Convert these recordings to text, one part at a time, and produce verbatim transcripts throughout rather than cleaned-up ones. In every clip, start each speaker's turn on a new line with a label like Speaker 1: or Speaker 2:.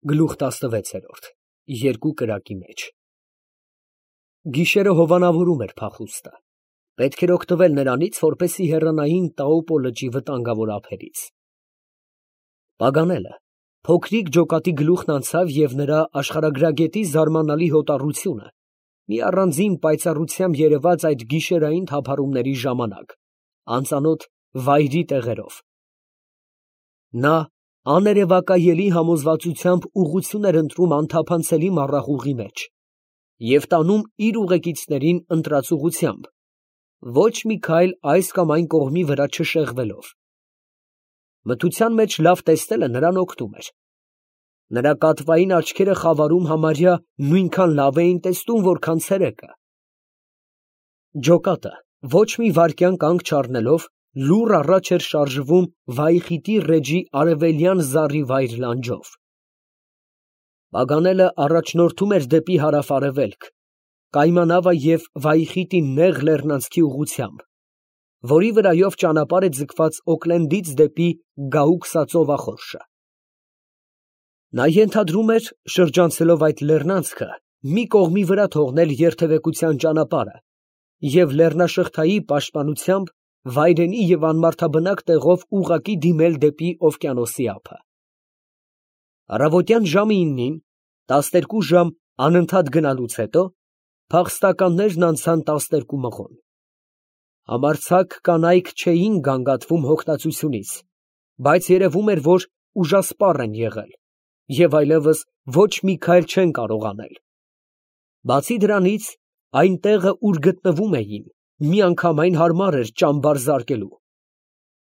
Speaker 1: Գլուխ տասնվեցերորդ Երկու կրակի մեջ Գիշերը հովանավորում էր փախուստը, պետք էր օգտվել նրանից, որպեսզի հեռանային Տաուպո լճի վտանգավոր ափերից։ Պագանելը փոքրիկ ջոկատի գլուխն անցավ և նրա աշխարհագրագետի զարմանալի հոտառությունը մի առանձին պայծառությամբ երևաց այդ գիշերային թափառումների ժամանակ, անծանոթ վայրի տեղերով։ Նա աներևակայելի համոզվածությամբ ուղղություն էր ընտրում անթափանցելի մառախուղի մեջ և տանում իր ուղեկիցներին ընտրած ուղղությամբ, ոչ մի քայլ այս կամ այն կողմի վրա չշեղվելով։ Մթության մեջ լավ տեսնելը նրան օգնում էր։ Նրա կատվային աչքերը խավարում համարյա նույնքան լավ էին տեսնում, որքան ցերեկը։ Ջոկատը ոչ մի վայրկյան կանգ չառնելով լուռ առաջ էր շարժվում Վայխիտի ռեջի արևելյան զառի վայր լանջով։ Պագանելը առաջնորդում էր դեպի հարավ֊արևելք, Կայմանավա և Վայխիտի նեղ լեռնանցքի ուղղությամբ, որի վրայով ճանապարհ է ձգված Օքլենդից դեպի Գաուքսա ծովախորշը։ Նա ենթադրում էր, շրջանցելով այդ լեռնանցքը, մի կողմի վրա թողնել երթևեկության ճանապարհը և լեռնաշղթայի պաշտպանությամբ վայրենի և անմարդաբնակ տեղով ուղղակի դիմել դեպի օվկիանոսի ափը։ Առավոտյան ժամը իննին, տասներկու ժամ անընդհատ գնալուց հետո, փախստականներն անցան տասներկու մղոն։ Համարձակ կանայք չէին գանգատվում հոգնածությունից, բայց երևում էր, որ ուժասպառ են եղել և այլևս ոչ մի քայլ չեն կարող անել։ Բացի դրանից, այն տեղը, ուր գտնվում էին, միանգամայն հարմար էր ճամբար զարկելու։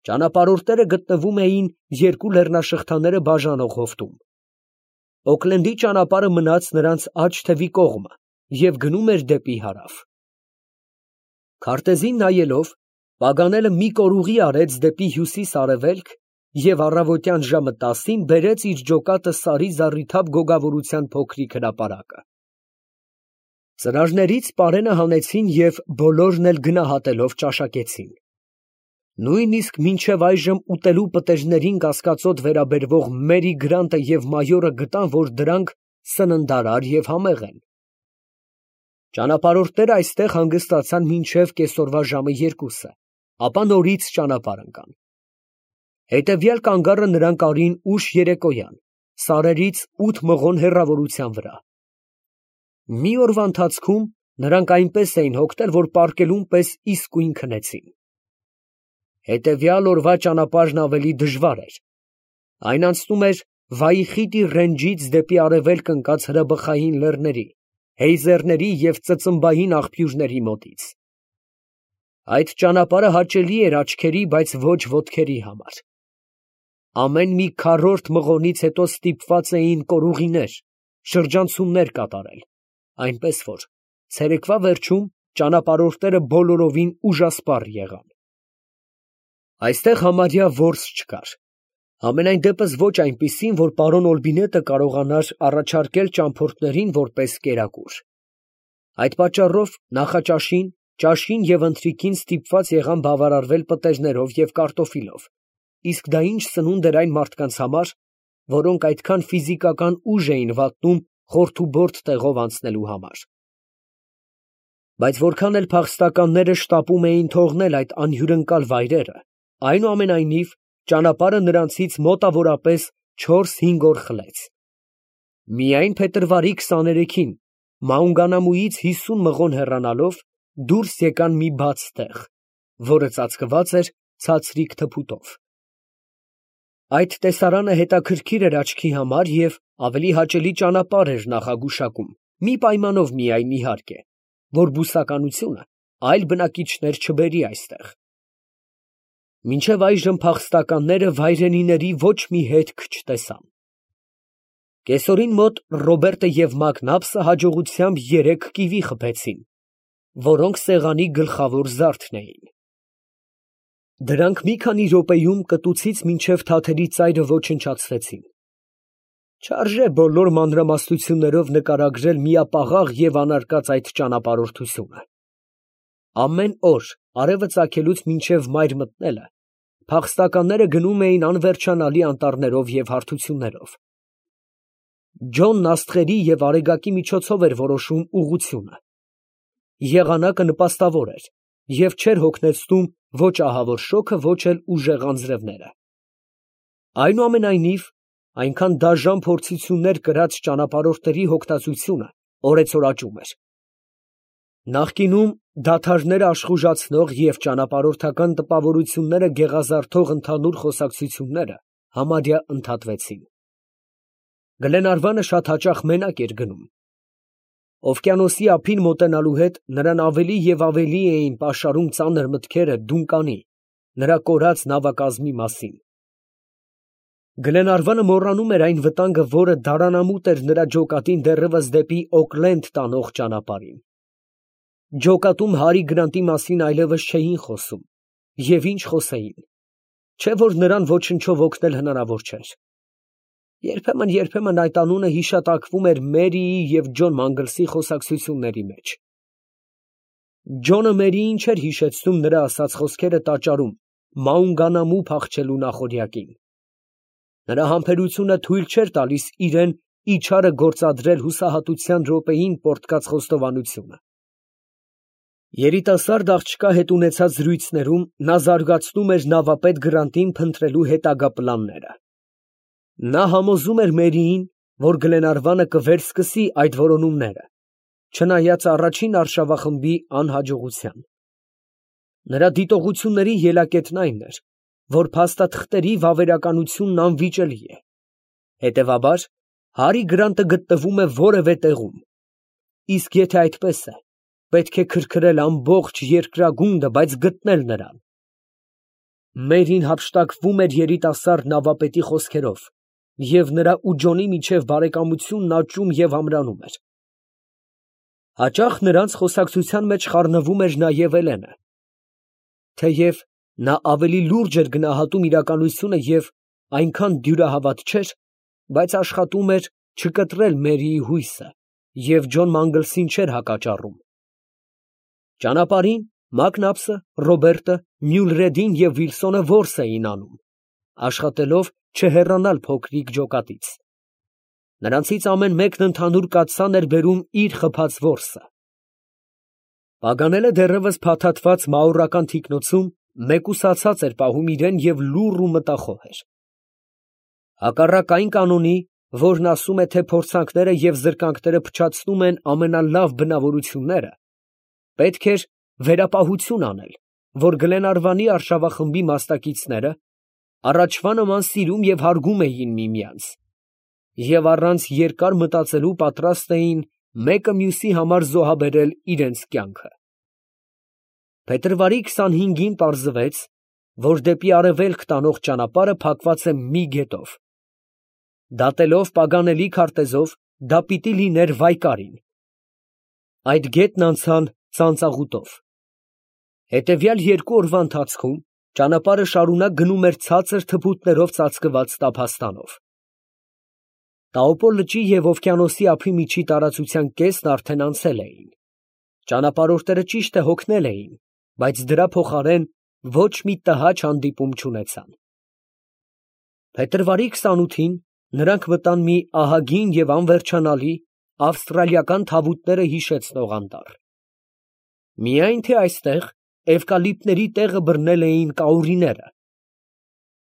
Speaker 1: Ճանապարհորդները գտնվում էին երկու լեռնաշղթաները բաժանող հովտում։ Օքլենդի ճանապարհը մնաց նրանց աջ թևի կողմը և գնում էր դեպի հարավ։ Քարտեզին նայելով, Պագանելը մի կորուղի արեց դեպի հյուսիս֊արևելք և առավոտյան ժամը տասին բերեց իր ջոկատը սարի զառիթափ գոգավորության փոքրիկ հրապարակը։ Ծրարներից պարենը հանեցին և բոլորն էլ գնահատելով ճաշակեցին։ Նույնիսկ մինչև այժմ ուտելու պտեժներին կասկածոտ վերաբերվող Մերի Գրանտը և մայորը գտան, որ դրանք սննդարար և համեղ են։ Ճանապարհորդները այստեղ հանգստացան մինչև կեսօրվա ժամը երկուսը, ապա նորից ճանապարհ ընկան։ Հետևյալ կանգառը նրանք արին ուշ երեկոյան, սարերից ութ մղոն հեռավորության վրա։ Մի օրվա ընթացքում նրանք այնպես էին հոգնել, որ պառկելուն պես իսկույն քնեցին։ Հետևյալ օրվա ճանապարհն ավելի դժվար էր։ Այն անցնում էր Վայխիտի ռենջից դեպի արևելք ընկած հրաբխային լեռների, հեյզերների և ծծմբային աղբյուրների մոտից։ Այդ ճանապարհը հաճելի էր աչքերի, բայց ոչ ոտքերի համար։ Ամեն մի քառորդ մղոնից հետո ստիպված էին կորուղիներ, շրջանցումներ կատարել, այնպես որ ցերեկվա վերջում ճանապարհորդները բոլորովին ուժասպառ եղան։ Այստեղ համարյա որս չկար, համենայն դեպս ոչ այնպիսին, որ պարոն Օլբինետը կարողանար առաջարկել ճամփորդներին որպես կերակուր։ Այդ պատճառով նախաճաշին, ճաշին և ընթրիքին ստիպված եղան բավարարվել պտեժներով և կարտոֆիլով, իսկ դա ինչ սնունդ էր այն մարդկանց համար, որոնք այդքան ֆիզիկական ուժ էին վատնում խորթուբորդ տեղով անցնելու համար։ Բայց որքան էլ փախստականները շտապում էին թողնել այդ անհյուրընկալ վայրերը, այնուամենայնիվ ճանապարհը նրանցից մոտավորապես չորս֊հինգ օր խլեց։ Միայն փետրվարի քսաներեքին Մաունգանամուից հիսուն մղոն հեռանալով դուրս եկան մի բաց տեղ, որը ծածկված էր ցածրիկ թփուտով։ Այդ տեսարանը հետաքրքիր էր աչքի համար և ավելի հաճելի ճանապարհ էր նախագուշակում, մի պայմանով միայն, իհարկե, որ բուսականությունը այլ բնակիչներ չբերի այստեղ։ Մինչև այժմ փախստականները վայրենիների ոչ մի հետք չտեսան։ Կեսօրին մոտ Ռոբերտը և Մակնաբսը հաջողությամբ երեք կիվի խփեցին, որոնք սեղանի գլխավոր զարդն էին։ Դրանք մի քանի րոպեում կտուցից մինչև թաթերի ծայրը ոչնչացվեցին։ Չարժե բոլոր մանրամասնություններով նկարագրել միապաղաղ և անարկած այդ ճանապարհորդությունը։ Ամեն օր արևը ծագելուց մինչև մայր մտնելը փախստականները գնում էին անվերջանալի անտառներով և հարթություններով։ Ջոնն աստղերի և արեգակի միջոցով էր որոշում ուղղությունը։ Եղանակը նպաստավոր էր և չէր հոգնեցնում ոչ ահավոր շոգը, ոչ էլ ուժեղ անձրևները։ Այնուամենայնիվ, այնքան դաժան փորձություններ կրած ճանապարհորդների հոգնածությունը օրեցօր աճում էր։ Նախկինում դադարները աշխուժացնող և ճանապարհորդական տպավորությունները գեղազարդող ընդհանուր խոսակցությունները համարյա ընդհատվեցին։ Գլենարվանը շատ հաճախ մենակ էր գնում։ Օվկիանոսի ափին մոտենալու հետ նրան ավելի և ավելի էին պաշարում ծանր մտքերը Դունկանի, նրա կորած նավակազմի մասին։ Գլենարվանը մոռանում էր այն վտանգը, որը դարանամուտ էր նրա ջոկատին դեռևս դեպի Օքլենդ տանող ճանապարհին։ Ջոկատում Հարի Գրանտի մասին այլևս չէին խոսում, և ինչ խոսեին, չէ՞ որ նրան ոչնչով օգնել հնարավոր չէր։ Երբեմն, երբեմն այդ անունը հիշատակվում էր Մերիի և Ջոն Մանգլսի խոսակցությունների մեջ։ Ջոնը Մերիին չէր հիշեցնում նրա ասած խոսքերը տաճարում Մաունգանամու փախչելու նախօրյակին։ Նրա համբերությունը թույլ չէր տալիս իրան իչարը գործադրել հուսահատության րոպեին պոռթկած խոստովանությունը։ Երիտասարդ աղջկա հետ ունեցած զրույցներում նա զարգացնում էր նավապետ Գրանտին փնտրելու հետագա պլանները։ Նա համոզում էր Մերիին, որ Գլենարվանը կվերսկսի այդ որոնումները, չնայած առաջին արշավախմբի անհաջողության։ Նրա դիտողությունների ելակետն այն էր, որ փաստաթղթերի վավերականությունն անվիճելի է։ Հետևաբար, Հարի Գրանտը գտնվում է որևէ տեղում, իսկ եթե այդպես է, պետք է քրքրել ամբողջ երկրագունդը, բայց գտնել նրան։ Մերին հափշտակվում էր երիտասարդ նավապետի խոսքերով, և նրա ու Ջոնի միջև բարեկամությունն աճում և ամրանում էր։ Հաճախ նրանց խոսակցության մեջ խառնվում էր նաև Էլենը։ Թեև նա ավելի լուրջ էր գնահատում իրականությունը և այնքան դյուրահավատ չէր, բայց աշխատում էր չկտրել Մերիի հույսը և Ջոն Մանգլսին չէր հակաճառում։ Ճանապարհին Մակնաբսը, Ռոբերտը, Մյուլրեդին և Վիլսոնը որս էին անում, աշխատելով չհեռանալ փոքրիկ ջոկատից։ Նրանցից ամեն մեկն ընդհանուր կաթսան էր բերում իր խփած որսը։ Պագանելը դեռևս փաթաթված մաուրական թիկնոցում մեկուսացած էր պահում իրան և լուռ ու մտախոհ էր։ Հակառակ այն կանոնի, որն ասում է, թե փորձանքները և զրկանքները փչացնում են ամենալավ բնավորությունները, պետք էր վերապահություն անել, որ Գլենարվանի արշավախմբի մասնակիցները առաջվա նման սիրում և հարգում էին միմյանց և առանց երկար մտածելու պատրաստ էին մեկը մյուսի համար զոհաբերել իրենց կյանքը։ Փետրվարի քսանհինգին պարզվեց, որ դեպի արևելք տանող ճանապարհը փակված է մի գետով։ Դատելով Պագանելի քարտեզով, դա պիտի լիներ Վայկարին։ Այդ գետն անցան ծանծաղուտով։ Հետևյալ երկու օրվա ընթացքում ճանապարհը շարունակ գնում էր ցածր թփուտներով ծածկված տափաստանով։ Տաոպո լճի և օվկիանոսի ափի միջի տարածության կեսն արդեն անցել էին։ Ճանապարհորդները ճիշտ է հոգնել էին, բայց դրա փոխարեն ոչ մի տհաճ հանդիպում չունեցան։ Փետրվարի քսանութին նրանք մտան մի ահագին և անվերջանալի ավստրալիական թավուտները հիշեցնող անտառ։ Միայն թե այստեղ էվկալիպտների տեղը բռնել էին կաուրիները։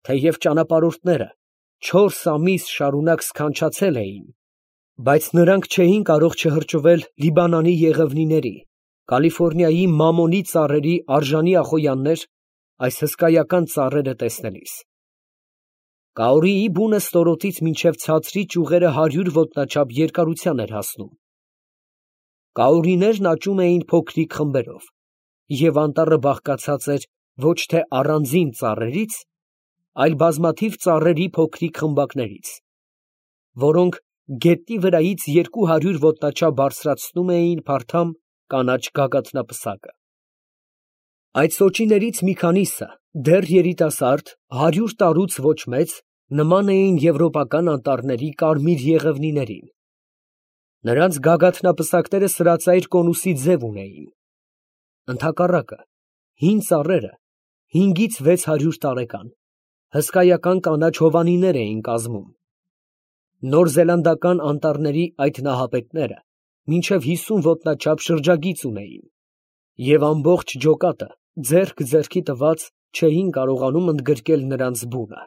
Speaker 1: Թեև ճանապարհորդները չորս ամիս շարունակ սքանչացել էին, բայց նրանք չէին կարող չհրճվել Լիբանանի եղևնիների, Կալիֆոռնիայի մամոնի ծառերի արժանի ախոյաններ այս հսկայական ծառերը տեսնելիս։ Կաուրիի բունը ստորոտից մինչև ցածրի ճյուղերը հարյուր ոտնաչափ երկարության էր հասնում։ Կաուրիներն աճում էին փոքրիկ խմբերով, և անտառը բաղկացած էր ոչ թե առանձին ծառերից, այլ բազմաթիվ ծառերի փոքրիկ խմբակներից, որոնք գետնի վրայից երկու հարյուր ոտնաչափ բարձրացնում էին փարթամ կանաչ գագաթնապսակը։ Այդ սոճիներից մի քանիսը, դեռ երիտասարդ, հարյուր տարուց ոչ մեծ, նման էին եվրոպական անտառների կարմիր եղևնիներին։ Նրանց գագաթնապսակները սրածայր կոնուսի ձև ունեին։ Ընդհակառակը, հին ծառերը հինգից վեց հարյուր տարեկան, հսկայական կանաչ հովանիներ էին կազմում։ Նորզելանդական անտառների այդ նահապետները մինչև հիսուն ոտնաչափ շրջագիծ ունեին, և ամբողջ ջոկատը ձեռք ձեռքի տված չէին կարողանում ընդգրկել նրանց բունը։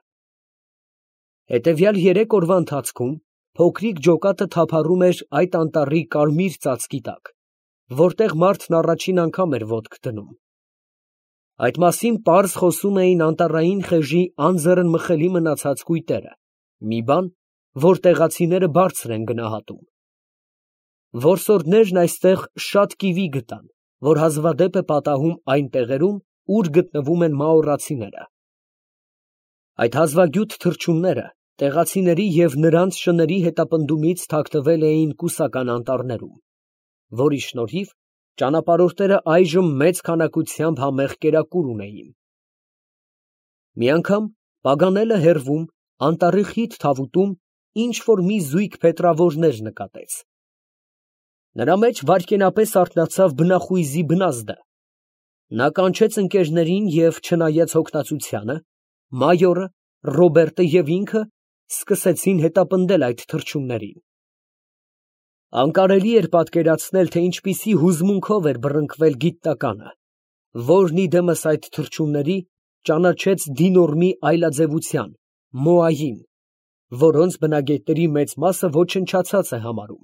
Speaker 1: Հետևյալ երեք օրվա ընթացքում փոքրիկ ջոկատը թափառում էր այդ անտառի կարմիր ծածկի տակ, որտեղ մարդն առաջին անգամ էր ոտք դնում։ Այդ մասին պարզ խոսում էին անտառային խեժի անձեռնմխելի մնացած կույտերը, մի բան, որ տեղացիները բարձր են գնահատում։ Որսորդներն այստեղ շատ կիվի գտան, որ հազվադեպ է պատահում այն տեղերում, ուր գտնվում են մաորացիները։ Այդ հազվագյուտ թռչունները տեղացիների և նրանց շների հետապնդումից թաքնվել էին կուսական անտառներում, որի շնորհիվ ճանապարհորդները այժմ մեծ քանակությամբ համեղ կերակուր ունեին։ Մի անգամ Պագանելը հեռվում, անտառի խիտ թավուտում ինչ֊որ մի զույգ փետրավորներ նկատեց։ Նրա մեջ վայրկենապես արթնացավ բնախույզի բնազդը։ Նա կանչեց ընկերներին և, չնայած հոգնածությանը, մայորը, Ռոբերտը և ինքը սկսեցին հետապնդել այդ թռչուններին։ Անկարելի էր պատկերացնել, թե ինչպիսի հուզմունքով էր բռնկվել գիտնականը, որն ի դեմս այդ թռչունների ճանաչեց դինորմի այլաձևության՝ մոային, որոնց բնագետների մեծ մասը ոչնչացած է համարում։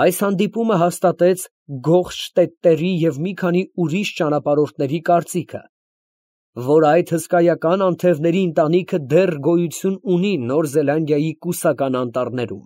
Speaker 1: Այս հանդիպումը հաստատեց Գոխշտետտերի և մի քանի ուրիշ ճանապարհորդների կարծիքը, որ այդ հսկայական անթևների ընտանիքը դեռ գոյություն ունի Նոր Զելանդիայի կուսական անտառներում։